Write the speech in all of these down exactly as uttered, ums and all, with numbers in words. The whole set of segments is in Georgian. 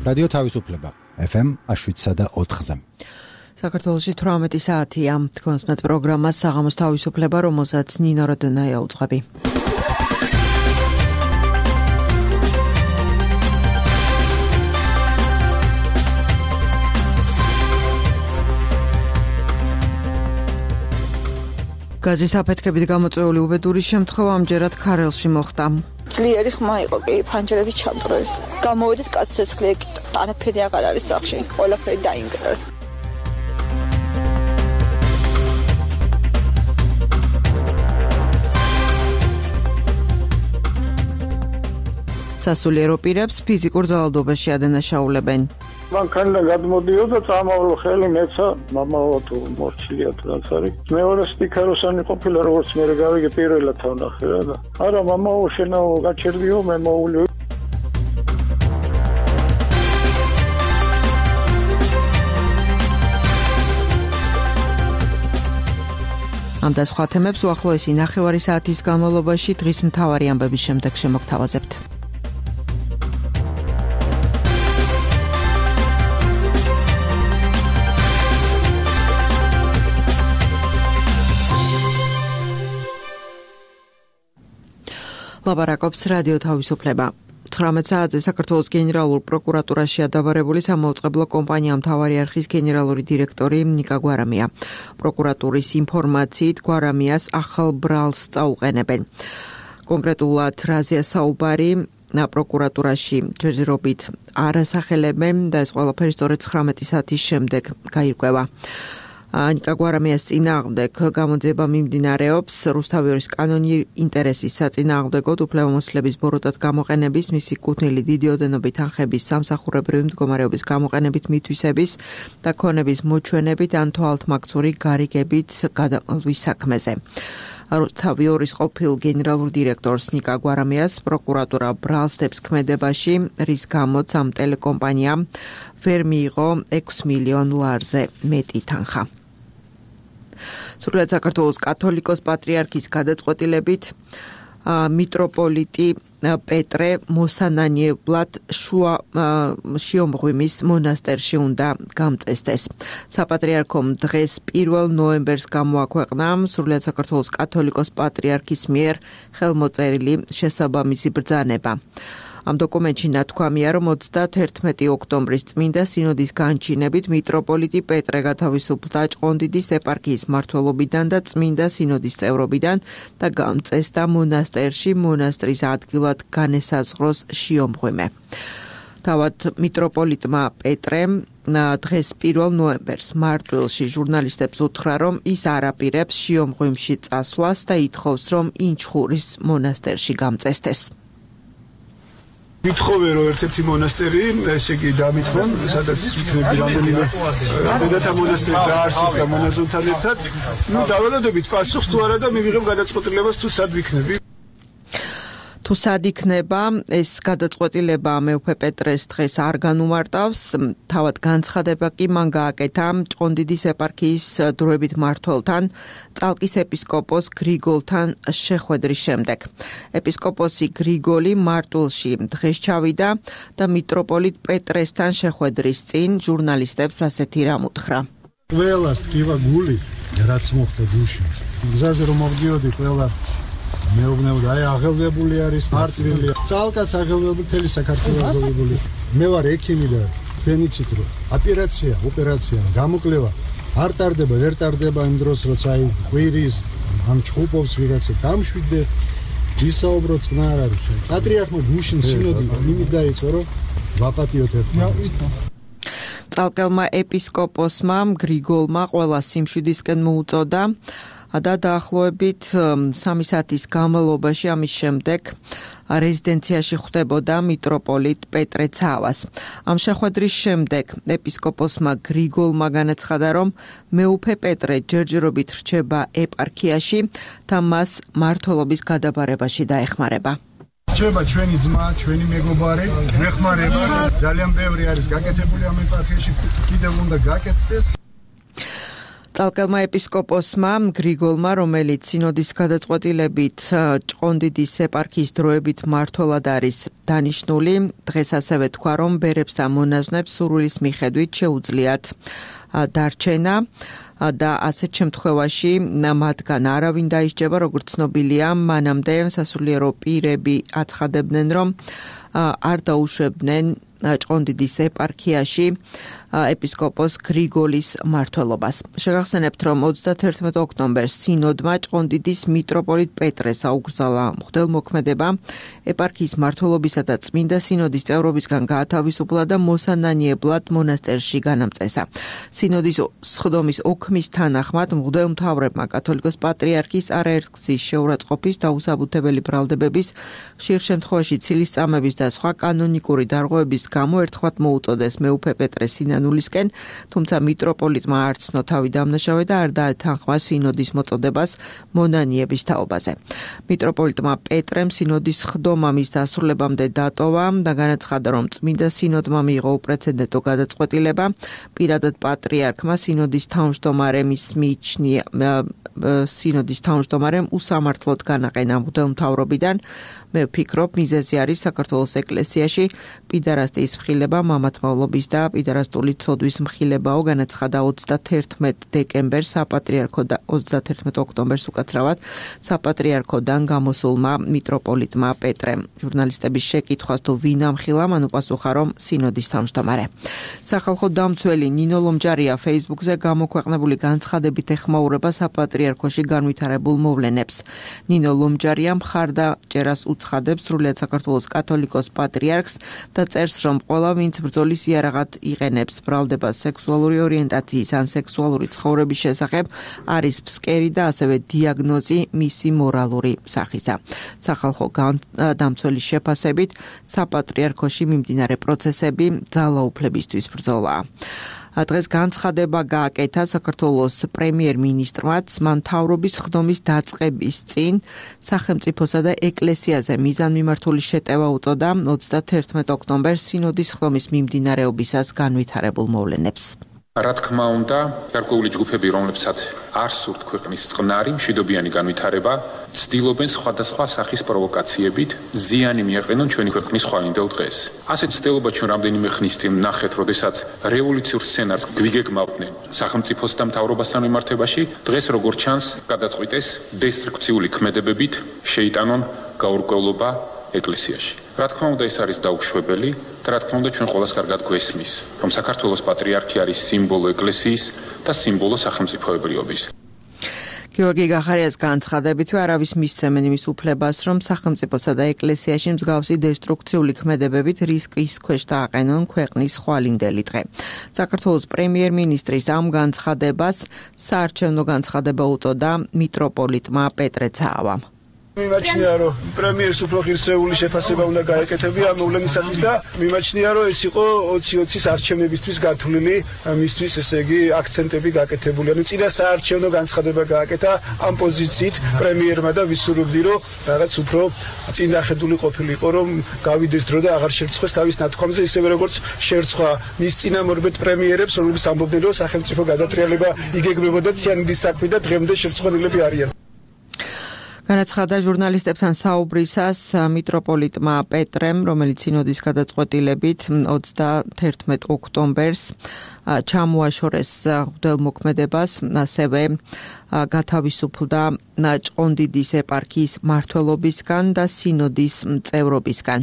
რადიო თავისუფლება ეფ ემ შვიდსა და ოთხზე. საქართველოში თვრამეტი საათია. თქვენსმეთ პროგრამას საღამოს თავისუფლება, რომელსაც ნინო როდონაია უძღვები. გაზის აფეთქებით გამოწვეული უბედური შემთხვევა ამჯერად ქარელში მოხდა. ძლიერი ხმა იყო კი ფანჯრების ჩამწროვის. გამოვედით კაცს ცეცხლი ეკიდა. არაფერი აღარ არის სახში. ყველაფერი დაინგრა. სასულიერო პირებს ფიზიკურ ძალადობაში ადანაშაულებენ. მანქანიდან გადმოდიოდა, წამოვლო ხელი მეცა, მამაო თუ მორჩილია თუ რაც არის. მეორე სტიქაროსანი ყოფილა, როგორც მე გავიგე პირველად ვნახე რა და. არა, მამაო შენაო გაჩერდიო, მე მოული. ამ და სხვა თემებს უახლოესი ნახევარი საათის განმავლობაში დღის მთავარი ამბების შემდეგ შემოგთავაზებთ. ლაპარაკობს რადიო თავისუფლება. ცხრამეტ საათზე საქართველოს გენერალურ პროკურატურაში ადაბარებული სამაუწყებლო კომპანია მთავარი არხის გენერალური დირექტორი ნიკა გვარამია. პროკურატურის ინფორმაციით გვარამიას ახალ ბრალს წაუყენებენ. კონკრეტულად რაზეა საუბარი პროკურატურაში ჯერჯერობით არ ასახელებენ და ეს ყველაფერი სწორედ ცხრამეტი საათის შემდეგ გაირკვევა. ნიკა გვარამიას წინააღმდეგ გამოძიება მიმდინარეობს რუსთავიორის კანონი ინტერესის საწინააღმდეგოდ უფლებამოსილების ბოროტად გამოყენების, მისი კუთვნილი დიდი ოდენობით ანხების, სამსახურებრივი მდგომარეობის გამოყენებით მითვისების და ქონების მოჩვენებით ან თვალთმაქცური გარიგებით გადამალვის საქმეზე. რუსთავიორის ყოფილ გენერალურ დირექტორს ნიკა გვარამიას პროკურატურა ბრალს დებს ქმედებაში, რის გამოც ამ ტელეკომპანიამ ვერ მიიღო ექვსი მილიონ ლარზე მეტი თანხა. სრულად საქართველოს კათოლიკოს პატრიარქის გადაწყვეტილებით მიტროპოლიტი პეტრე მოსანანიებლად შუა შიომღვიმის მონასტერში უნდა გამწესდეს. საპატრიარქომ დღეს პირველ ნოემბერს გამოაქვეყნა სრულად საქართველოს კათოლიკოს პატრიარქის მიერ ხელმოწერილი შესაბამისი ბრძანება. ამ დოკუმენტში ნათქვამია, რომ ოცდაათერთმეტი ოქტომბრის წმინდა სინოდის განჩინებით მიტროპოლიტი პეტრე გათავისუფლდა ჭყონდიდის ეპარქიის მმართველობიდან და წმინდა სინოდის წევრობიდან და გამწესდა მონასტერში მონასტრის ადგილად განესაზღვროს შიომღვიმე. თავად მიტროპოლიტმა პეტრემ დღეს პირველ ნოემბერს მარტვილში ჟურნალისტებს უთხრა, რომ ის არ აპირებს შიომღვიმში წასვლას და ითხოვს, რომ ინჩხურის მონასტერში გამწესდეს. ვითხოვე რომ ერთ-ერთი მონასტერი, ესე იგი დამითხრან, სადაც იქნები რამდენიმე რამდენათა მონასტერი დაარსეს და მონაზონთან ერთად. ნუ დავალოდებით პასუხს თუ არა და მივიღებ გადაწყვეტილებას თუ სად ვიქნები. თუ სად იქნება ეს გადაწყვეტილება მეუფე პეტრეს დღეს არ განუმარტავს, თავად განცხადება კი მან გააკეთა ჭყონდიდის ეპარქიის დროებით მმართველთან, წალკის ეპისკოპოს გრიგოლთან შეხვედრის შემდეგ. ეპისკოპოსი გრიგოლი მარტვილში დღეს ჩავიდა და მიტროპოლიტ პეტრესთან შეხვედრის წინ ჟურნალისტებს ასეთი რამ უთხრა. ყველას ტკივა გული, რაც მოხდა გულში. გზაზე რომ მოვდიოდი, ყველა მეუბნებოდა, აი აღელვებული არის მარტვილი. წალკაც აღელვებული, მთელი საქართველო აღელვებული. მე ვარ ექიმი და თქვენ იცით რომ ოპერაცია, ოპერაცია, გამოკლება არ ტარდება, ვერ ტარდება იმ დროს, როცა აი ყვირის ამ ჩხუბობს ვიღაცა დამშვიდე, ვისაუბროთ წნა არ არის. პატრიარქმა გუშინ სინოდი იმით დაიწყო, რომ ვაპატიოთ ერთმანეთს. წალკელმა ეპისკოპოსმა გრიგოლმა ყველა სიმშვიდისკენ მოუწოდა და დაახლოებით სამი საათის განმავლობაში ამის შემდეგ რეზიდენციაში ხვდებოდა მიტროპოლიტ პეტრე ცავას. ამ შეხვედრის შემდეგ ეპისკოპოსმა გრიგოლმა განაცხადა, რომ მეუფე პეტრე ჯერჯერობით რჩება ეპარქიაში და მას მმართველობის გადაბარებაში დაეხმარება. რჩება ჩვენი ძმა, ჩვენი მეგობარი, მეხმარება, ძალიან ბევრი არის გაკეთებული ამ ეპარქიაში, კიდევ უნდა გაკეთდეს. წალკელმა ეპისკოპოსმა გრიგოლმა, რომელიც სინოდის გადაწყვეტილებით ჭყონდიდის ეპარქიის დროებით მმართველად არის დანიშნული, დღეს ასევე თქვა, რომ ბერებს და მონაზვნებს სურვილის მიხედვით შეუძლიათ დარჩენა და ასეთ შემთხვევაში მათგან არავინ დაისჯება, როგორც ცნობილია, მანამდე სასულიერო პირები აცხადებდნენ, რომ არ დაუშვებდნენ ჭყონდიდის ეპარქიაში ეპისკოპოს გრიგოლის მმართველობას. შეგახსენებთ, რომ ოცდათერთმეტ ოქტომბერს სინოდმა ჭყონდიდის მიტროპოლიტ პეტრეს აუგზავნა მღვდელმოქმედება ეპარქიის მმართველობისა და წმინდა სინოდის წევრობისგან გაათავისუფლა და მოსანანიებლად მონასტერში განამწესა. სინოდის სხდომის ოქმის თანახმად მღვდელმთავრებმა კათოლიკოს პატრიარქის არაერთგზის შეურაცხყოფის, დაუსაბუთებელი ბრალდებების, ხშირ შემთხვევაში ცილისწამების და სხვა კანონიკური დარღვევების გამო ერთხმად მოუწოდეს მეუფე პეტრე სინანულისკენ, თუმცა მიტროპოლიტმა არ ცნო თავი დამნაშავე და არ დაეთანხმა სინოდის მოწოდებას მონანიების თაობაზე. მიტროპოლიტმა პეტრემ სინოდის ხდომა მის დასრულებამდე დატოვა და განაცხადა, რომ წმინდა სინოდმა მიიღო უპრეცედენტო გადაწყვეტილება, პირადად პატრიარქმა სინოდის თავმჯდომარემ ის მიიჩნია სინოდის თავმჯდომარემ უსამართლოდ განაყენა მღვდელმთავრობიდან. მე ვფიქრობ, მიზეზი არის საქართველოს ეკლესიაში პიდარასტიის მხილება, მამათმავლობის და პიდარასტული ცოდვის მხილებაო, განაცხადა ოცდათერთმეტ დეკემბერს საპატრიარქო და ოცდათერთმეტ ოქტომბერს უკაცრავად საპატრიარქოდან გამოსულმა მიტროპოლიტმა პეტრემ. ჟურნალისტების შეკითხვას თუ ვინ ამხილა, მან უპასუხა, რომ სინოდის თავმჯდომარე. სახალხო დამცველი ნინო ლომჯარია Facebook-ზე გამოქვეყნებული განცხადებით ეხმაურება საპატრიარქოში განვითარებულ მოვლენებს. ნინო ლომჯარია მხარდაჭერას უცხადებს სრულიად საქართველოს კათოლიკოს პატრიარქს და წერს, რომ ყველა ვინც ბრძოლის იარაღად იყენებს ბრალდებას სექსუალური ორიენტაციის ან სექსუალური ცხოვრების შესახებ, არის ფსკერი და ასევე დიაგნოზი მისი მორალური სახისა. სახალხო დამცველის შეფასებით საპატრიარქოში მიმდინარე პროცესები ძალაუფლებისთვის ბრძოლაა. დღეს განცხადება გააკეთა საქართველოს პრემიერ-მინისტრმაც, მან მთავრობის ხდომის დაწყების წინ სახელმწიფოსა და ეკლესიაზე მიზანმიმართული შეტევა უწოდა ოცდათერთმეტ ოქტომბერს სინოდის ხდომის მიმდინარეობისას განვითარებულ მოვლენებს. რა თქმა უნდა, გარკვეული ჯგუფები, რომლებსაც არ სურთ ქვეყნის წყნარი, მშვიდობიანი განვითარება, ცდილობენ სხვადასხვა სახის პროვოკაციებით ზიანი მიაყენონ ჩვენი ქვეყნის ხვალინდელ დღეს. ასეთ ცდილობა ჩვენ რამდენიმე ხნის წინ ვნახეთ, როდესაც რევოლუციურ სცენარს გვიგეგმავდნენ სახელმწიფოს და მთავრობასთან მიმართებაში, დღეს როგორც ჩანს, გადაწყვიტეს დესტრუქციული ქმედებებით შეიტანონ გაურკვევლობა ეკლესიაში. რა თქმა უნდა, ეს არის დაუშვებელი და რა თქმა უნდა, ჩვენ ყველას კარგად გვესმის, რომ საქართველოს პატრიარქი არის სიმბოლო ეკლესიის და სიმბოლო სახელმწიფოებრიობის. გიორგი გახარიას განცხადებითვე არავის მისცემენ იმის უფლებას, რომ სახელმწიფოსა და ეკლესიაში მსგავსი დესტრუქციული ქმედებებით რისკის ქვეშ დააყენონ ქვეყნის ხვალინდელი დღე. საქართველოს პრემიერ-მინისტრის ამ განცხადებას საარჩევნო განცხადება უწოდა მიტროპოლიტმა პეტრე ცაავამ. მიმაჩნია, რომ პრემიერს უფრო ღირსეული შეფასება უნდა გაეკეთებია ამ მოვლენისათვის და მიმაჩნია, რომ ეს იყო ოცი ოცის არჩევნებისთვის გათვლილი, მისთვის ესე იგი აქცენტები გაკეთებული. ანუ წინა საარჩევნო განცხადება გააკეთა ამ პოზიციით პრემიერმა და ვისურვებდი, რომ რაღაც უფრო წინახედული ყოფილიყო, რომ გავიდეს დრო და აღარ შერცხვეს თავის ნათქვამზე, ისევე როგორც შერცვა მის წინამორბედ პრემიერებს, რომლებიც ამბობდნენ, რომ სახელმწიფო გადატრიალება იგეგმებოდა ციანიდის საქმე და დღემდე შერცხვენილები არიან. განაცხადა ჟურნალისტებთან საუბრისას მიტროპოლიტმა პეტრემ, რომელიც სინოდის გადაწყვეტილებით ოცდათერთმეტ ოქტომბერს ჩამოაშორეს მღვდელმოქმედებას, ასევე გათავისუფლდა ჭყონდიდის ეპარქიის მმართველობისგან და სინოდის წევრობისგან.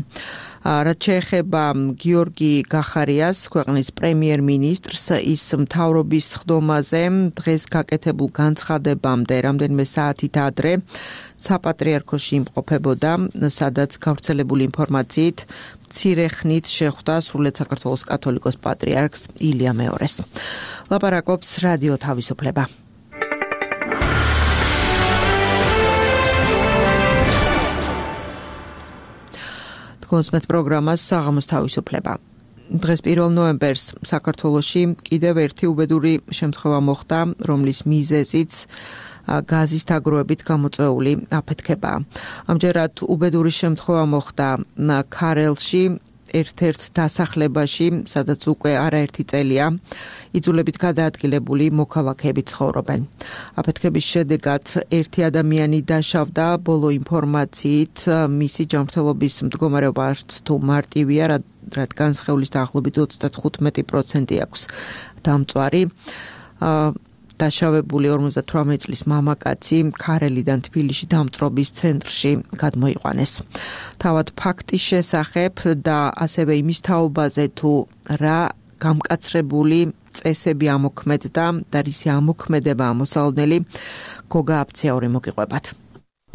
რაც შეეხება გიორგი გახარიას, ქვეყნის პრემიერ-მინისტრს, ის მთავრობის ხდომაზე დღეს გაკეთებულ განცხადებამდე რამდენიმე საათით ადრე საპატრიარქოში იმყოფებოდა, სადაც გავრცელებული ინფორმაციით მცირე ხნით შეხვდა სრულიად საქართველოს კათოლიკოს პატრიარქს ილია მეორეს. ლაპარაკობს რადიო თავისუფლება. კონსმეთ პროგრამას საღამოს თავისუფლება. დღეს პირველ ნოემბერს საქართველოში კიდევ ერთი უბედური შემთხვევა მოხდა, რომლის მიზეზიც გაზის დაგროვებით გამოწვეული აფეთქებაა. ამჯერად უბედური შემთხვევა მოხდა ქარელში, ერთ-ერთ დასახლებაში, სადაც უკვე არაერთი წელია იძულებით გადაადგილებული მოქალაქეები ცხოვრობენ. აფეთქების შედეგად ერთი ადამიანი დაშავდა, ბოლო ინფორმაციით მისი ჯანმრთელობის მდგომარეობა არც თუ მარტივია, რადგან სხეულის დაახლოებით ოცდათხუთმეტი პროცენტი აქვს დამწვარი. დაშავებული ორმოცდათვრამეტი წლის მამაკაცი ქარელიდან თბილისში დამწრობის ცენტრში გადმოიყვანეს. თავად ფაქტის შესახებ და ასევე იმის თაობაზე თუ რა გამკაცრებული წესები ამოქმედდა და რისი ამოქმედება ამოსალოდნელი გოგა აფციური მოგიყვებათ.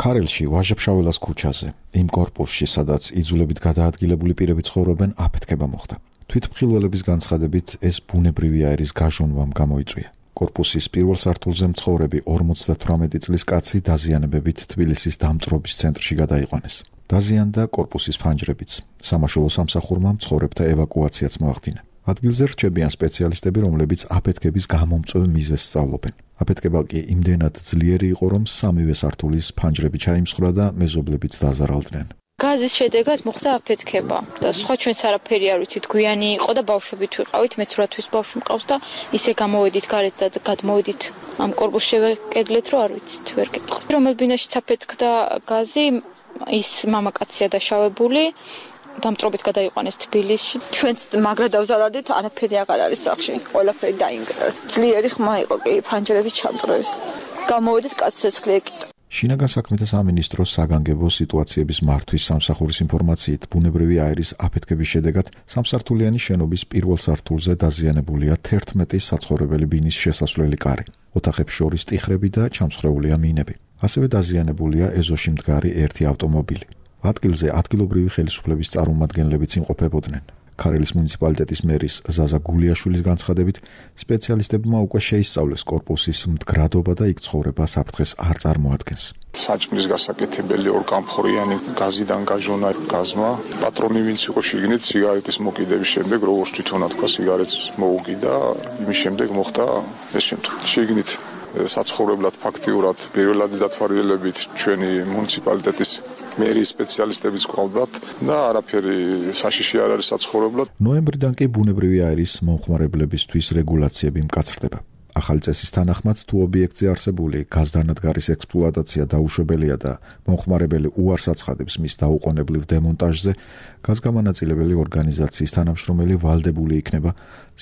ქარელში ვაჟა-ფშაველას ქუჩაზე, იმ კორპუსში, სადაც იძულებით გადაადგილებული პირები ცხოვრობენ, აფეთქება მოხდა. თვითმხილველების განცხადებით, ეს ბუნებრივი აირის გაჟონვამ გამოიწვია. კორპუსის პირველ სართულზე მცხოვრები ორმოცდათვრამეტი წლის კაცი დაზიანებებით თბილისის დამწრობის ცენტრში გადაიყვანეს. დაზიანდა კორპუსის ფანჯრებიც. სამაშველო სამსახურმა მცხოვრებთა ევაკუაციაც მოახდინა. ადგილზე რჩებიან სპეციალისტები, რომლებიც აფეთქების გამომწვევ მიზეზს სწავლობენ. აფეთქება კი იმდენად ძლიერი იყო, რომ სამივე სართულის ფანჯრები ჩაიმსხვრა და მეზობლებიც დაზარალდნენ. გაზის შედეგად მოხდა აფეთქება და სხვა ჩვენც არაფერი არ ვიცით, გვიანი იყო და ბავშვებით ვიყავით, მეც რა თვის ბავშვი მყავს და ისე გამოვედით გარეთ და გადმოვედით ამ კორპუსს შევეკედლეთ, რომ არ ვიცით, ვერ გეტყვი. რომელ ბინაშიც აფეთქდა გაზი, ის მამაკაცია დაშავებული, დამწრობით გადაიყვანეს თბილისში. ჩვენც მაგრა დავზარალდით, არაფერი აღარ არის სახლში, ყველაფერი დაინგრა. ძლიერი ხმა იყო კი, ფანჯრები ჩამწრეს. გამოვედით კაცს ცეცხლი ეკიდა. შინაგან საქმეთა სამინისტროს საგანგებო სიტუაციების მართვის სამსახურის ინფორმაციით, ბუნებრივი აირის აფეთქების შედეგად სამსართულიანი შენობის პირველ სართულზე დაზიანებულია თერთმეტი საცხოვრებელი ბინის შესასვლელი კარი. ოთახებს შორის ტიხრები და ჩამსხვრეულია მინები. ასევე დაზიანებულია ეზოში მდგარი ერთი ავტომობილი. ადგილზე ადგილობრივი ხელისუფლების წარმომადგენლებიც იმყოფებოდნენ. ქარელის მუნიციპალიტეტის მერის ზაზა გულიაშვილის განცხადებით, სპეციალისტებმა უკვე შეისწავლეს კორპუსის მდგრადობა და იქ ცხოვრება საფრთხეს არ წარმოადგენს. საჭმლის გასაკეთებელი ორგამფორიანი გაზიდან გაჟონა გაზმა, პატრონი ვინც იყო შიგნით სიგარეტის მოკიდების შემდეგ, როგორც თვითონა თქვა, სიგარეტს მოუგიდა, იმის შემდეგ მოხდა ეს შემთხვევა. შიგნით საცხოვრებლად ფაქტიურად პირველადი დათვალიერებით ჩვენი მუნიციპალიტეტის მერის სპეციალისტებიც ყავდათ და არაფერი საშიში არ არის საცხოვრებლად. ნოემბრიდან კი ბუნებრივი აირის მომხმარებლებისთვის რეგულაციები მკაცრდება. ახალი წესის თანახმად, თუ ობიექტზე არსებული გაზდანადგარის ექსპლუატაცია დაუშვებელია და მომხმარებელი უარს აცხადებს მის დაუყოვნებლივ დემონტაჟზე, გაზგამანაწილებელი ორგანიზაციის თანამშრომელი ვალდებული იქნება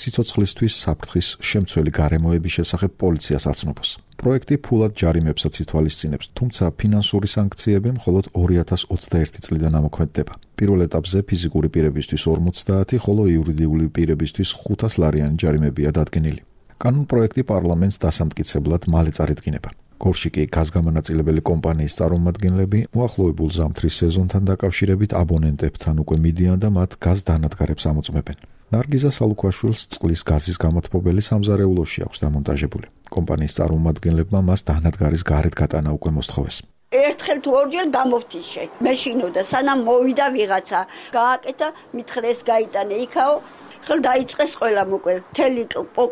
სიცოცხლისთვის საფრთხის შემცველი გარემოების შესახებ პოლიციას აცნობს. პროექტი ფულად ჯარიმებსაც ითვალისწინებს, თუმცა ფინანსური სანქციები მხოლოდ ორი ათას ოცდაერთი წლიდან ამოქმედდება. პირველ ეტაპზე ფიზიკური პირებისთვის ორმოცდაათი, ხოლო იურიდიული პირებისთვის ხუთას ლარიანი ჯარიმებია დადგენილი. კანონპროექტი პარლამენტს დასამტკიცებლად მალე წარიდგინება. გორში კი გაზგამანაწილებელი კომპანიის წარმომადგენლები მოახლოებულ ზამთრის სეზონთან დაკავშირებით აბონენტებთან უკვე მიდიან და მათ გაზდანადგარებს ამოწმებენ. ნარგიზა სალუქვაშვილს წყლის გაზის გამოთბობელი სამზარეულოში აქვს დამონტაჟებული. კომპანიის წარმომადგენლებმა მას დანადგარის გარეთ გატანა უკვე მოსთხოვეს. ერთხელ თუ ორჯერ გამოვთიშე. მეშინოდა სანამ მოვიდა ვიღაცა, გააკეთა, მითხრეს გაიტანე იქაო. ხელ დაიწყეს ყველა მოკვე. მთელი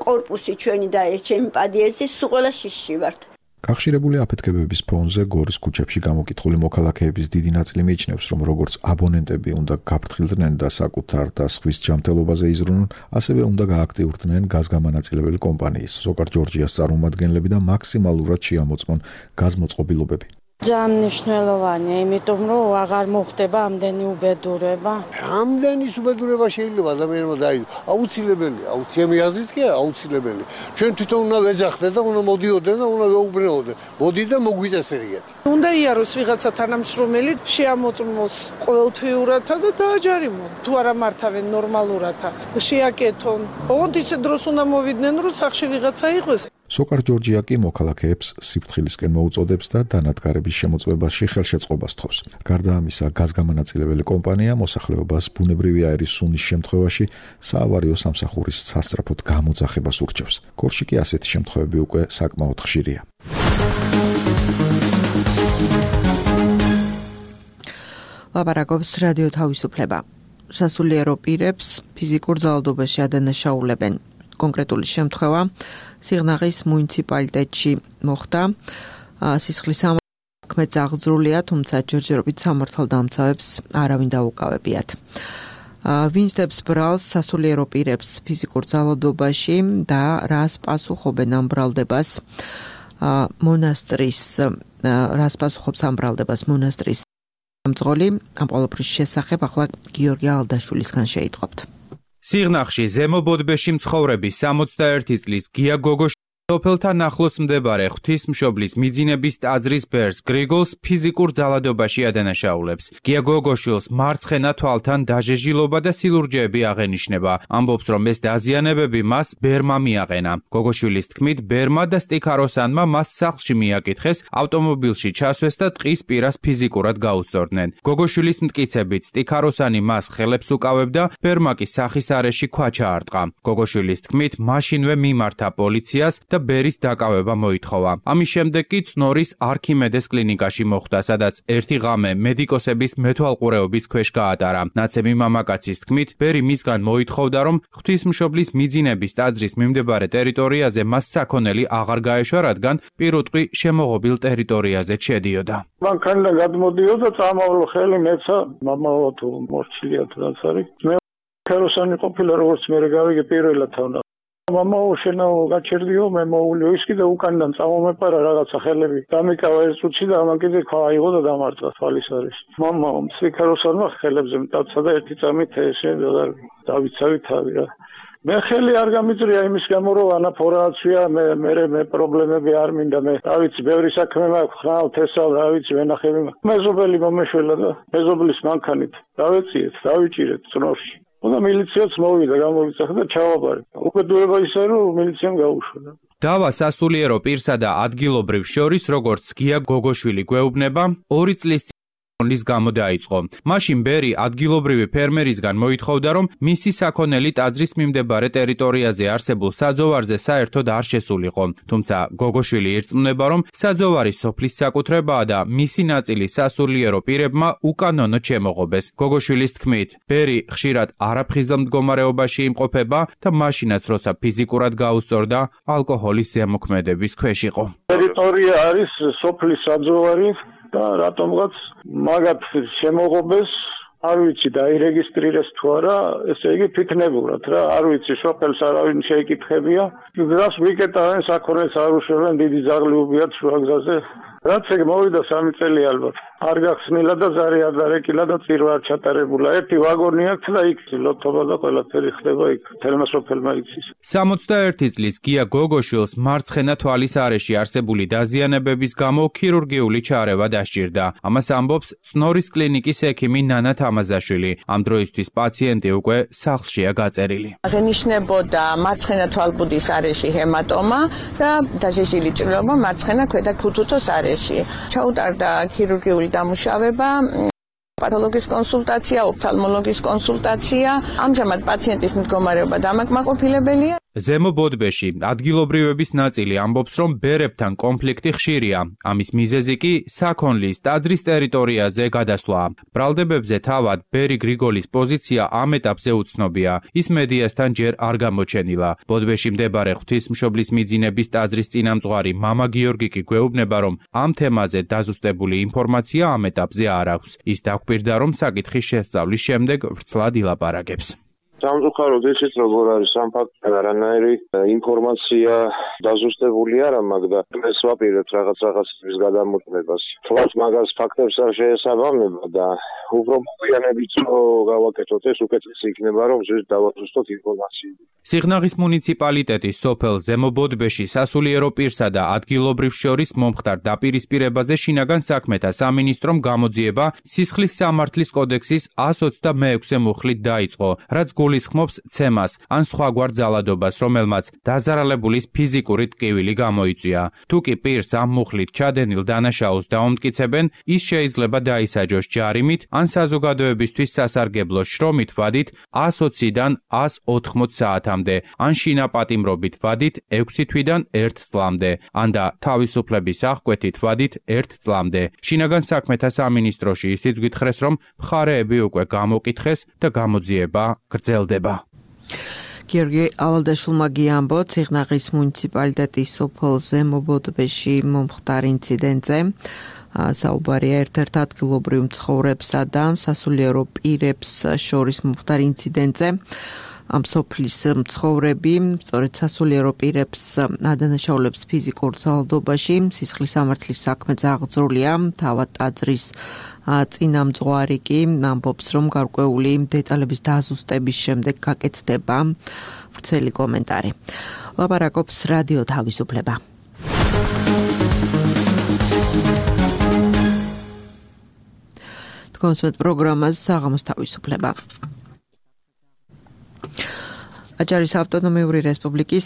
კორპუსი ჩვენი და ჩემი პადიეზი სულ ყველა შიში ვართ. კავშირებული აფეთქებების ფონზე გორის ქუჩებში გამოკითხული მოქალაქეების დიდი ნაწილი მიიჩნევს, რომ როგორც აბონენტები უნდა გაფრთხილდნენ და საკუთარ და სხვის ჯანმრთელობაზე იზრუნონ, ასევე უნდა გააქტიურდნენ გაზგამანაწილებელი კომპანიის ზოგარ ჯორჯიას წარმომადგენლები და მაქსიმალურად შეამოწმონ გაზმოწყობილობები. ძალიან მნიშვნელოვანია, იმიტომ რომ აღარ მოხდება ამდენი უბედურება. ამდენი უბედურება შეიძლება ადამიანმა დაიდო. აუცილებელია, აუცილებელი აზრით კი აუცილებელი. ჩვენ თვითონ უნდა ვეძახდეთ და უნდა მოდიოდნენ და უნდა ვეუბნეოდნენ. მოდი და მოგვიწესრიგეთ. უნდა იაროს ვიღაცა თანამშრომელი, შეამოწმოს ყოველთვიურად და დააჯარიმონ. თუ არა მართავენ ნორმალურად, შეაკეთონ. ოღონდ ისე დროს უნდა მოვიდნენ, რომ სახში ვიღაცა იყოს. სოკარ ჯორჯია კი მოქალაქეებს სიფრთხილისკენ მოუწოდებს და დანადგარების შემოწმებაში ხელშეწყობას თხოვს. გარდა ამისა, გაზგამანაწილებელი კომპანია მოსახლეობას ბუნებრივი აირის სუნის შემთხვევაში საავარიო სამსახურის სასწრაფოდ გამოძახებას ურჩევს. გორში კი ასეთი შემთხვევები უკვე საკმაოდ ხშირია. ლაპარაკობს რადიო თავისუფლება. სასულიერო პირებს ფიზიკურ ძალადობაში ადანაშაულებენ. კონკრეტული შემთხვევა სიღნაღის მუნიციპალიტეტში მოხდა. სისხლის ამოქმედს აღძრულია, თუმცა ჯერჯერობით სამართალდამცავებს არავინ დაუკავებიათ. ვინც დებს ბრალს სასულიერო პირებს ფიზიკურ ძალადობაში და რას პასუხობენ ამ ბრალდებას მონასტრის რას პასუხობს ამ ბრალდებას მონასტრის მძღოლი ამ ყოველფრის შესახებ ახლა გიორგი ალდაშვილისგან შეიტყობთ. სიღნაღში ზემო ბოდბეში მცხოვრების სამოცდაერთი წლის გია გოგოშვილი სოფელთან ახლოს მდებარე ღვთისმშობლის მიძინების ტაძრის ბერს გრიგოლს ფიზიკურ ძალადობაში ადანაშაულებს. გია გოგოშვილს მარცხენა თვალთან დაჟეჟილობა და სილურჯეები აღენიშნება. ამბობს, რომ ეს დაზიანებები მას ბერმა მიაყენა. გოგოშვილის თქმით, ბერმა და სტიქაროსანმა მას სახლში მიაკითხეს, ავტომობილში ჩასვეს და ტყის პირას ფიზიკურად გაუსწორდნენ. გოგოშვილის მტკიცებით, სტიქაროსანი მას ხელებს უკავებდა, ბერმა კი სახის არეში ქვა ჩაარტყა. გოგოშვილის თქმით, მაშინვე მიმართა პოლიციას და ბერის დაკავება მოითხოვა. ამის შემდეგ კი წნორის არქიმედეს კლინიკაში მოხვდა, სადაც ერთი ღამე მედიკოსების მეთვალყურეობის ქვეშ გაატარა. ნაცემი მამაკაცის თქმით, ბერი მისგან მოითხოვდა, რომ ღვთისმშობლის მიძინების ტაძრის მიმდებარე ტერიტორიაზე მას საქონელი აღარ გაეშვა, რადგან პირუტყვი შემოღობილ ტერიტორიაზე შედიოდა. მან ქანიდან გადმოდიოდა, წამოვლო ხელი მეცა, მამაო თუ მორჩილია თუ რაც არის. მე ქეროსანი ყოფილა, როგორც მე გავიგე პირველად თავნა. მამაო შენო გაჩერდიო მე მოულიო ის კიდე უკანიდან წამომეპარა რაღაცა ხელები დამიკავა ეს უცი და ამან კიდე ქვა აიღო და დამარცხა თვალის არის მამაო სიქაროსანმა ხელებზე მტაცა და ერთი წამით ესე დავიცავი თავი რა მე ხელი არ გამიწრია იმის გამო რომ ანაფორაცია მე მე მე პრობლემები არ მინდა მე დავიცი ბევრი საქმე მაქვს ხრავ თესავ რა ვიცი ვენახები მეზობელი მომეშველა და მეზობლის მანქანით დავეციეთ დავიჭირეთ წნორში და მილიციაც მოვიდა, გამოვიძახა და ჩავაბარეთ. უკეთდება ისე, რომ მილიციამ გაუშვა. დავა სასულიერო პირსა და ადგილობრივ შორის, როგორც გია გოგოშვილი გვეუბნება, ორი წლის ლის გამო დაიწყო. მაშინ ბერი ადგილობრივი ფერმერისგან მოითხოვდა, რომ მისი საქონელი ტაძრის მიმდებარე ტერიტორიაზე არსებულ საძოვარზე საერთოდ არ შესულიყო. თუმცა გოგოშვილი ირწმუნება, რომ საძოვარი სოფლის საკუთრებაა და მისი ნაწილი სასულიერო პირებმა უკანონოდ შემოღობეს. გოგოშვილის თქმით, ბერი ხშირად არაფხიზელ მდგომარეობაში იმყოფება და მაშინაც როცა ფიზიკურად გაუსწორდა, ალკოჰოლის ზემოქმედების ქვეშ იყო. ტერიტორია არის სოფლის საძოვარი და რატომღაც მაგათ შემოღობეს არ ვიცი დაირეგისტრირეს თუ არა ესე იგი ფიქნებურად რა არ ვიცი სოფელს არავინ შეიკითხებია გზას ვიკეტავენ საქონელს არ უშვებენ დიდი ზაღლი უბიათ შუაგზაზე რაც ეგ მოვიდა სამი წელი ალბათ არ გახსნილა და ზარი არ დარეკილა და წირვა არ ჩატარებულა ერთი ვაგონი აქვს და იქ ლოთობა და ყველაფერი ხდება იქ თელმა სოფელმა იცის სამოცდაერთი წლის გია გოგოშვილს მარცხენა თვალის არეში არსებული დაზიანებების გამო ქირურგიული ჩარევა დასჭირდა ამას ამბობს წნორის კლინიკის ექიმი ნანა თამაზაშვილი ამ დროისთვის პაციენტი უკვე სახლშია გაწერილი აღენიშნებოდა მარცხენა თვალბუდის არეში ჰემატომა და დაჟეჟილი ჭრილობა მარცხენა ქვედა ქუთუთოს არეში ჩაუტარდა ქირურგიული დამუშავება პათოლოგის კონსულტაცია, ოფთალმოლოგის კონსულტაცია. ამჟამად პაციენტის მდგომარეობა დამაკმაყოფილებელია. ზემო ბოდბეში ადგილობრივების ნაწილი ამბობს, რომ ბერებთან კონფლიქტი ხშირია. ამის მიზეზი კი საქონლის ტაძრის ტერიტორიაზე გადასვლა. ბრალდებებზე თავად ბერი გრიგოლის პოზიცია ამ ეტაპზე უცნობია. ის მედიასთან ჯერ არ გამოჩენილა. ბოდბეში მდებარე ღვთისმშობლის მიძინების ტაძრის წინამძღვარი მამა გიორგი კი გვეუბნება, რომ ამ თემაზე დაზუსტებული ინფორმაცია ამ ეტაპზე არ აქვს. ის დაგვირდა, რომ საკითხის შესწავლის შემდეგ ვრცლად ილაპარაკებს. სამწუხაროდ ისიც როგორ არის ამ ფაქტთან არანაირი ინფორმაცია დაზუსტებული არა მაგდა ეს ვაპირებთ რაღაც რაღაცების გადამოწმებას თვალს მაგას ფაქტებს არ შეესაბამება და უფრო მოგვიანებით გავაკეთოთ ეს უკეთესი იქნება რომ ზუსტ დავაზუსტოთ ინფორმაციები სიღნაღის მუნიციპალიტეტის სოფელ ზემო ბოდბეში სასულიერო პირსა და ადგილობრივ შორის მომხდარ დაპირისპირებაზე შინაგან საქმეთა სამინისტრომ გამოძიება სისხლის სამართლის კოდექსის εκατს ოცდამეექვსე მუხლით დაიწყო რაც გულისხმობს ცემას ან სხვაგვარ ძალადობას, რომელმაც დაზარალებულის ფიზიკური ტკივილი გამოიწვია. თუ კი პირს ამ მუხლით ჩადენილ დანაშაულს დაუმტკიცებენ, ის შეიძლება დაისაჯოს ჯარიმით ან საზოგადოებისთვის სასარგებლო შრომით ვადით εκατს ოცდან εκατს ოთხმოც საათამდე, ან შინაპატიმრობით ვადით ექვსი თვიდან ერთ წლამდე, ან და თავისუფლების აღკვეთით ვადით ერთ წლამდე. შინაგან საქმეთა სამინისტროში ისიც გითხრეს, რომ მხარეები უკვე გამოკითხეს და გამოძიება გრძელდება. გიორგი ავალდაშვილმა გიამბო ციხნაღის მუნიციპალიტეტის სოფელ ზემო ბოდბეში მომხდარ ინციდენტზე. საუბარია ერთ-ერთ ადგილობრივ მცხოვრებსა და სასულიერო პირებს შორის მომხდარ ინციდენტზე. ამ სოფლის მცხოვრები სწორედ სასულიერო პირებს ადანაშაულებს ფიზიკურ ძალადობაში, სისხლის სამართლის საქმე აღძრულია, თავად ტაძრის წინამძღვარი კი ამბობს, რომ გარკვეული დეტალების დაზუსტების შემდეგ გაკეთდება ვრცელი კომენტარი. ლაპარაკობს რადიო თავისუფლება. კონსერტ პროგრამას საღამოს თავისუფლება. აჭარის ავტონომიური რესპუბლიკის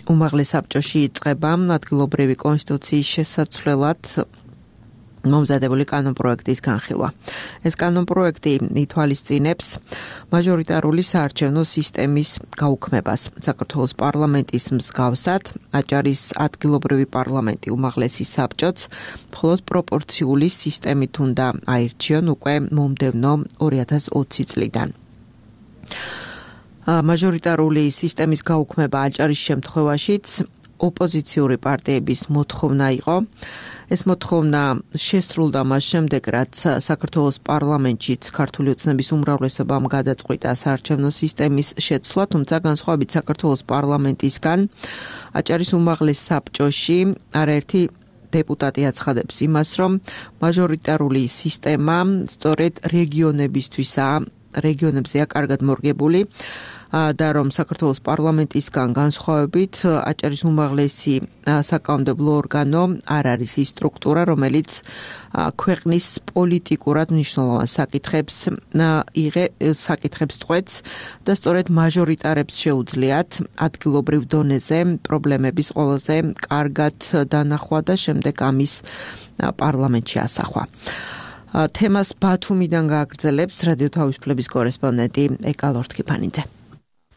უმაღლეს საბჭოში იწყება ადგილობრივი კონსტიტუციის შესაცვლელად მომზადებული კანონპროექტის განხილვა. ეს კანონპროექტი ითვალისწინებს მაჟორიტარული საარჩევნო სისტემის გაუქმებას. საქართველოს პარლამენტის მსგავსად, აჭარის ადგილობრივი პარლამენტი უმაღლესი საბჭოც მხოლოდ პროპორციული სისტემით უნდა აირჩიონ უკვე მომდევნო ორი ათას ოცი წლიდან. მაჟორიტარული სისტემის გაუქმება აჭარის შემთხვევაშიც ოპოზიციური პარტიების მოთხოვნა იყო. ეს მოთხოვნა შესრულდა მას შემდეგ, რაც საქართველოს პარლამენტშიც ქართული ოცნების უმრავლესობამ გადაწყვიტა საარჩევნო სისტემის შეცვლა, თუმცა განსხვავებით საქართველოს პარლამენტისგან, აჭარის უმაღლეს საბჭოში არაერთი დეპუტატი აცხადებს იმას, რომ მაჟორიტარული სისტემა სწორედ რეგიონებისთვისაა, რეგიონებზეა კარგად მორგებული და რომ საქართველოს პარლამენტისგან განსხვავებით აჭარის უმაღლესი საკანონმდებლო ორგანო არ არის ის სტრუქტურა, რომელიც ქვეყნის პოლიტიკურად მნიშვნელოვან საკითხებს იღე საკითხებს წყვეტს და სწორედ მაჟორიტარებს შეუძლიათ ადგილობრივ დონეზე პრობლემების ყველაზე კარგად დანახვა და შემდეგ ამის პარლამენტში ასახვა. თემას ბათუმიდან გააგრძელებს რადიო თავისუფლების კორესპონდენტი ეკალორთქიფანიძე.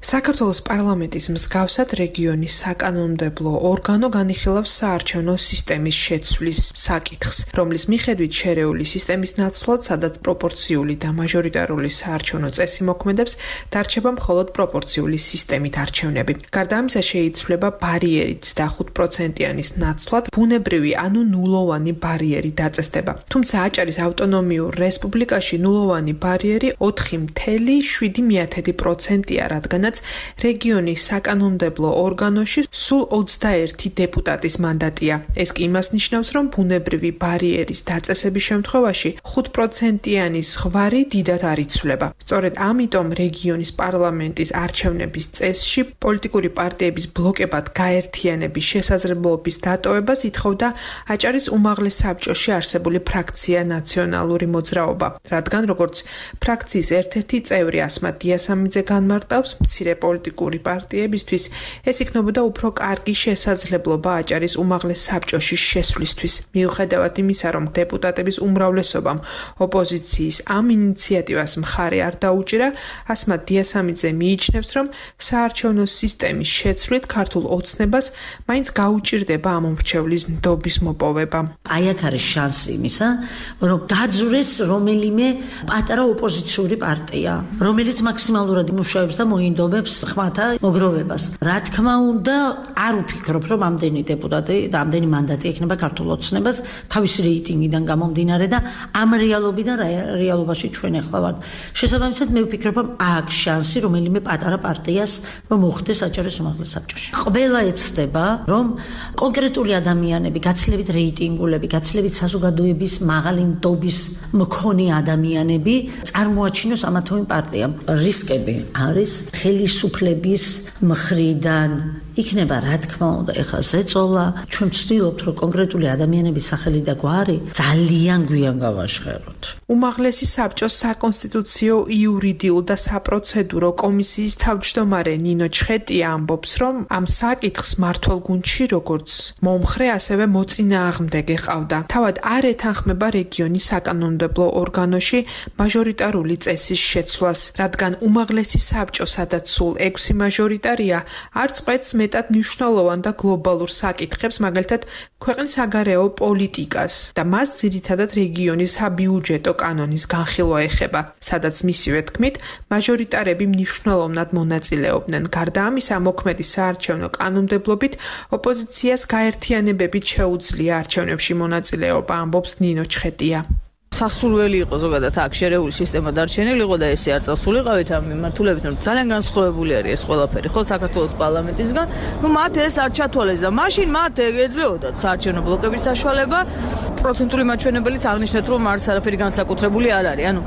საქართველოს პარლამენტის მსგავსად რეგიონის საკანონმდებლო ორგანო განიხილავს საარჩევნო სისტემის შეცვლის საკითხს, რომლის მიხედვით შერეული სისტემის ნაცვლად, სადაც პროპორციული და მაჟორიტარული საარჩევნო წესი მოქმედებს, დარჩება მხოლოდ პროპორციული სისტემით არჩევნები. გარდა ამისა შეიცვლება ბარიერიც და ხუთ პროცენტიანის ნაცვლად ბუნებრივი ანუ ნულოვანი ბარიერი დაწესდება. თუმცა აჭარის ავტონომიურ რესპუბლიკაში ნულოვანი ბარიერი ოთხი ათეული შვიდი პროცენტია, რადგანაც რეგიონის საკანონმდებლო ორგანოში სულ ოცდაერთი დეპუტატის მანდატია. ეს კი იმას ნიშნავს, რომ ბუნებრივი ბარიერის დაწესების შემთხვევაში ხუთ პროცენტიანი ზღვარი დიდად არ იცვლება. სწორედ ამიტომ რეგიონის პარლამენტის არჩევნების წესში პოლიტიკური პარტიების ბლოკებად გაერთიანების შესაძლებლობის დატოვებას ითხოვდა აჭარის უმაღლეს საბჭოში არსებული ფრაქცია ნაციონალური მოძრაობა, რადგან როგორც ფრაქციის ერთ-ერთი წევრი ასმათ დიასამიძე განმარტავს, მცირე პოლიტიკური პარტიებისთვის ეს იქნებოდა უფრო კარგი შესაძლებლობა აჭარის უმაღლეს საბჭოში შესვლისთვის. მიუხედავად იმისა, რომ დეპუტატების უმრავლესობამ ოპოზიციის ამ ინიციატივას მხარი არ დაუჭირა, ასმათ დიასამიძე მიიჩნევს, რომ საარჩევნო სისტემის შეცვლით ქართულ ოცნებას მაინც გაუჭირდება ამ მომრჩევლის ნდობის მოპოვება. აი აქ არის შანსი იმისა, რომ გაძვრეს რომელიმე პატარა ოპოზიციური პარტია, რომელიც მაქსიმალურად იმუშავებს და მოინდომებს ხმათა მოგროვებას. რა თქმა უნდა, არ ვფიქრობ, რომ ამდენი დეპუტატი და ამდენი მანდატი ექნება ქართულ ოცნებას თავისი რეიტინგიდან გამომდინარე და ამ რეალობიდან რეალობაში ჩვენ ახლა ვართ. შესაბამისად, მე ვფიქრობ, რომ აქ შანსი რომელიმე პატარა პარტიას რომ მოხდეს აჭარის უმაღლეს საბჭოში. ყველა ეცდება, რომ კონკრეტული ადამიანები, გაცილებით რეიტინგულები, გაცილებით საზოგადოების მაღალი ნდობის მქონე ადამიანები წარმოაჩინოს ამა თუ იმ პარტიამ. რისკები არის ხელისუფლების მხრიდან იქნება, რა თქმა უნდა, ეხლა ზეწოლა, ჩვენ ვცდილობთ, რომ კონკრეტული ადამიანების სახელი და გვარი ძალიან გვიან გავაშხეროთ. უმაღლესი საბჭოს საკონსტიტუციო, იურიდიულ და საპროცედურო კომისიის თავმჯდომარე ნინო ჩხეტია ამბობს, რომ ამ საკითხს მმართველ გუნდში როგორც მომხრე, ასევე მოწინააღმდეგე ყავდა. თავად არ ეთანხმება რეგიონის საკანონმდებლო ორგანოში მაჟორიტარული წესის შეცვლას, რადგან უმაღლესი საბჭო, სადაც სულ ექვსი მაჟორიტარია, არ წყვეტს მეტად მნიშვნელოვან და გლობალურ საკითხებს, მაგალითად, ქვეყნის საგარეო პოლიტიკას და მას ძირითადად რეგიონის საბიუჯეტო კანონის განხილვა ეხება, სადაც მისივე თქმით, მაჟორიტარები მნიშვნელოვნად მონაწილეობდნენ. გარდა ამისა, მოქმედი საარჩევნო კანონმდებლობით ოპოზიციას გაერთიანებებით შეუძლია არჩევნებში მონაწილეობა, ამბობს ნინო ჩხეტია. სასურველი იყო ზოგადად აქ შერეული სისტემა დარჩენილი იყო და ესე არ წასულიყავით ამ მიმართულებით, რომ ძალიან განსხვავებული არის ეს ყველაფერი, ხო, საქართველოს პარლამენტისგან. ნუ მათ ეს არ ჩათვალეს და მაშინ მათ ეძლეოდათ საარჩევნო ბლოკების საშუალება. პროცენტული მაჩვენებელიც აღნიშნეთ, რომ არც არაფერი განსაკუთრებული არ არის. ანუ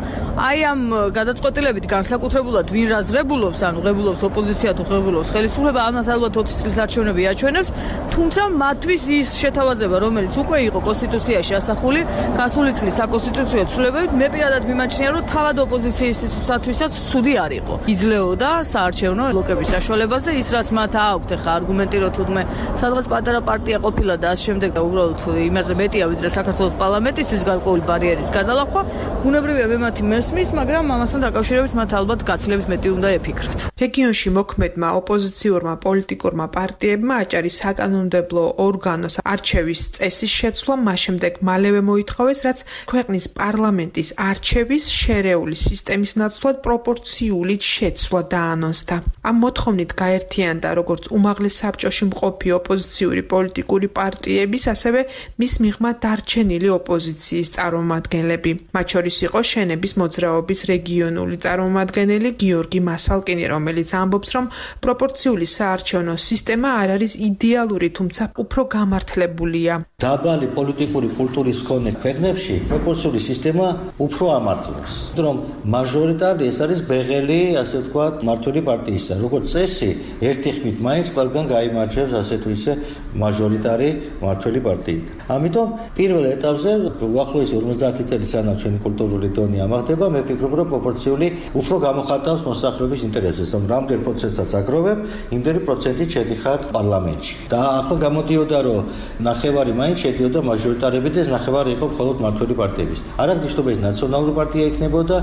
აი ამ გადაწყვეტილებით განსაკუთრებულად ვინ რა ზღებულობს, ანუ ღებულობს ოპოზიცია თუ ღებულობს ხელისუფლება, ამას ალბათ ოცი წლის არჩევნები აჩვენებს, თუმცა მათთვის ის შეთავაზება, რომელიც უკვე იყო კონსტიტუციაში ასახული, გასული წლის საკონსტიტუციო ცვლილებებით, მე პირადად მიმაჩნია, რომ თავად ოპოზიციის ინსტიტუტისათვისაც ცუდი არ იყო. იძლეოდა საარჩევნო ბლოკების საშუალებას და ის რაც მათ აქვთ ახლა არგუმენტი, რომ თუნდაც სადღაც პატარა პარტია ყოფილა და ამ შემდეგ და უბრალოდ იმაზე მეტია ვიდრე საქართველოს პარლამენტისთვის გარკვეული ბარიერის გადალახვა, ბუნებრივია მე მათი მესმის, მაგრამ ამასთან დაკავშირებით მათ ალბათ გაცილებით მეტი უნდა ეფიქროთ. რეგიონში მოქმედმა ოპოზიციურმა პოლიტიკურმა პარტიებმა აჭარის საკანონმდებლო ორგანოს არჩევის წესის შეცვლა მას შემდეგ მალევე მოითხოვეს, რაც ქვეყნის პარლამენტის არჩევის შერეული სისტემის ნაცვლად პროპორციული შეცვლა დაანონსდა. ამ მოთხოვნით გაერთიანდა როგორც უმაღლეს საბჭოში მყოფი ოპოზიციური პოლიტიკური პარტიების, ასევე მის მიღმა დარჩენილი ოპოზიციის წარმომადგენლები. მათ შორის იყო შენების მოძრაობის რეგიონული წარმომადგენელი გიორგი მასალკინი, რომელიც ამბობს, რომ პროპორციული საარჩევნო სისტემა არ არის იდეალური, თუმცა უფრო გამართლებულია. დაბალი პოლიტიკური კულტურის მქონე ქვეყნებში პროპორციული სისტემა უფრო ამართლებს, რომ მაჟორიტარი ეს არის ბეღელი, ასე ვთქვათ, მმართველი პარტიისა. როგორც წესი, ერთი ხმით მაინც ყველგან გაიმარჯვებს ასე თუ ისე მაჟორიტარი მმართველი პარტიით. ამიტომ პირველ ეტაპზე უახლოესი ორმოცდაათი წელი სანამ ჩვენი კულტურული დონე ამაღლდება, მე ვფიქრობ, რომ პროპორციული უფრო გამოხატავს მოსახლეობის ინტერესებს, რომ რამდენ პროცენტსაც აგროვებ, იმდენი პროცენტით შედიხარ პარლამენტში. და ახლა გამოდიოდა, რომ ნახევარი მაინც შედიოდა მაჟორიტარებით და ეს ნახევარი იყო მხოლოდ მმართველი პარტიების. არ აქვს ნიშნობა ის ნაციონალური პარტია იქნებოდა,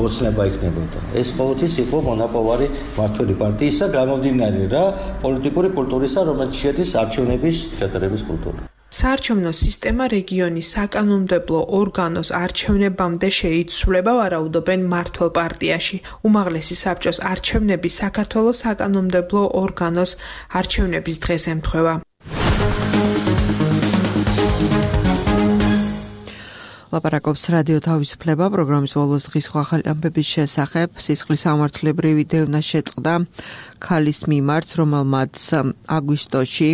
ოცნება იქნებოდა. ეს ყოველთვის იყო მონაპოვარი მმართველი პარტიისა, გამომდინარე რა პოლიტიკური კულტურისა, რომელიც შედის არჩევნების შეტარების კულტურა. საარჩევნო სისტემა რეგიონის საკანონმდებლო ორგანოს არჩევნებამდე შეიცვლება, ვარაუდობენ მმართველ პარტიაში. უმაღლესი საბჭოს არჩევნები საქართველოს საკანონმდებლო ორგანოს არჩევნების დღეს ემთხვევა. ლაპარაკობს რადიო თავისუფლება პროგრამის ბოლოს დღის ახალი ამბების შესახებ. სისხლის სამართლებრივი დევნა შეწყდა ქალის მიმართ, რომელმაც აგვისტოში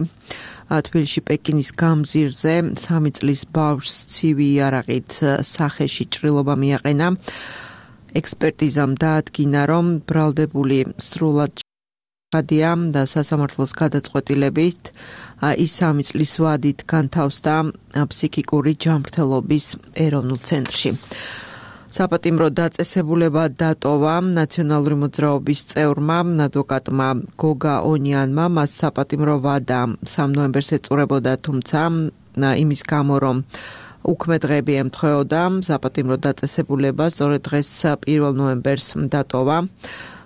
თბილისში პეკინის გამზირზე სამი წლის ბავშვს ცივი იარაღით სახეში ჭრილობა მიაყენა. ექსპერტიზამ დაადგინა, რომ ბრალდებული სრულად გადია და სასამართლოს გადაწყვეტილებით ის სამი წლის ვადით განთავსდა ფსიქიკური ჯანმრთელობის ეროვნულ ცენტრში. საპატიმრო დაწესებულება დატოვა ნაციონალური მოძრაობის წევრმა ადვოკატმა გოგა ონიანმა, მას საპატიმრო ვადა სამ ნოემბერს ეწურებოდა, თუმცა იმის გამო, რომ უქმე დღეები ემთხვეოდა, საპატიმრო დაწესებულება სწორედ დღეს პირველ ნოემბერს დატოვა.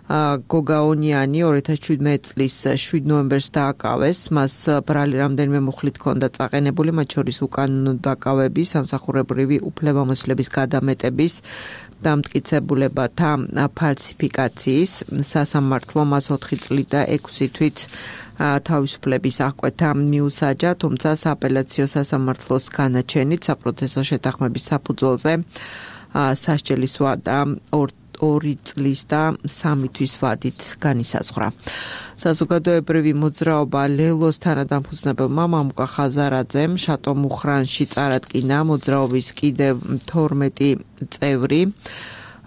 გოგა ონიანი ორი ათას შვიდმეტი წლის შვიდ ნოემბერს დააკავეს, მას ბრალი რამდენიმე მუხლით ჰქონდა წაყენებული, მათ შორის უკანონო დაკავების, სამსახურებრივი უფლებამოსილების გადამეტების, დამტკიცებულებათა ფალსიფიკაციის. სასამართლო მას ოთხი წლით და ექვსი თვით თავისუფლების აღკვეთა მიუსაჯა, თუმცა სააპელაციო სასამართლოს განაჩენით საპროცესო შეთანხმების საფუძველზე სასჯელის ვადა ორი წლის და სამი თვის ვადით განისაზღვრა. საზოგადოებრივი მოძრაობა ლელოს თანადამფუძნებელმა მამუკა ხაზარაძემ შატო მუხრანში წარადგინა მოძრაობის კიდევ თორმეტი წევრი.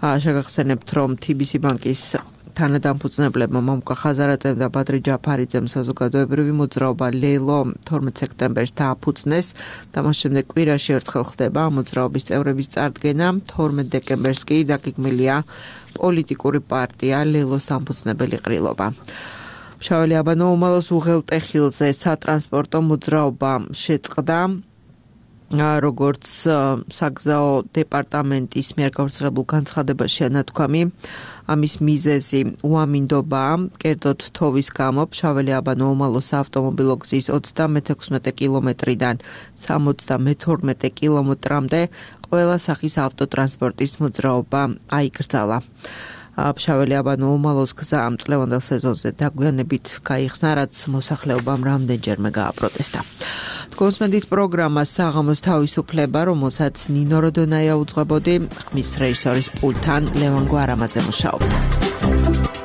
შეგახსენებთ, რომ თი ბი სი ბანკის თანადამფუძნებლებმა მამუკა ხაზარაძემ და ბადრი ჯაფარიძემ საზოგადოებრივი მოძრაობა ლელო თორმეტ სექტემბერს დააფუძნეს და მას შემდეგ კვირაში ერთხელ ხდება მოძრაობის წევრების წარდგენა. თორმეტ დეკემბერს კი დაგეგმილია პოლიტიკური პარტია ლელოს დამფუძნებელი ყრილობა. მშაველი აბანო უმალოს უღელტეხილზე სატრანსპორტო მოძრაობა შეწყდა. როგორც საგზაო დეპარტამენტის მიერ გავრცელებულ განცხადებაში ანათქვამი, ამის მიზეზი უამინდობაა, კერძოდ თოვის გამო ფშაველი-აბანო-უმალოს ავტომობილო გზის ოცდამეთექვსმეტე კილომეტრიდან სამოცდამეთორმეტე კილომეტრამდე ყველა სახის ავტოტრანსპორტის მოძრაობა აიკრძალა. ფშაველი-აბანო-უმალოს გზა ამ წლევანდელ სეზონზე დაგვიანებით გაიხსნა, რაც მოსახლეობამ რამდენჯერმე გააპროტესტა. კონსმენდით პროგრამა საღამოს თავისუფლება, რომელსაც ნინო როდონაია უძღვებოდი, ხმის რეჟისორის პულტთან ლევან გვარამაძე მუშაობდა.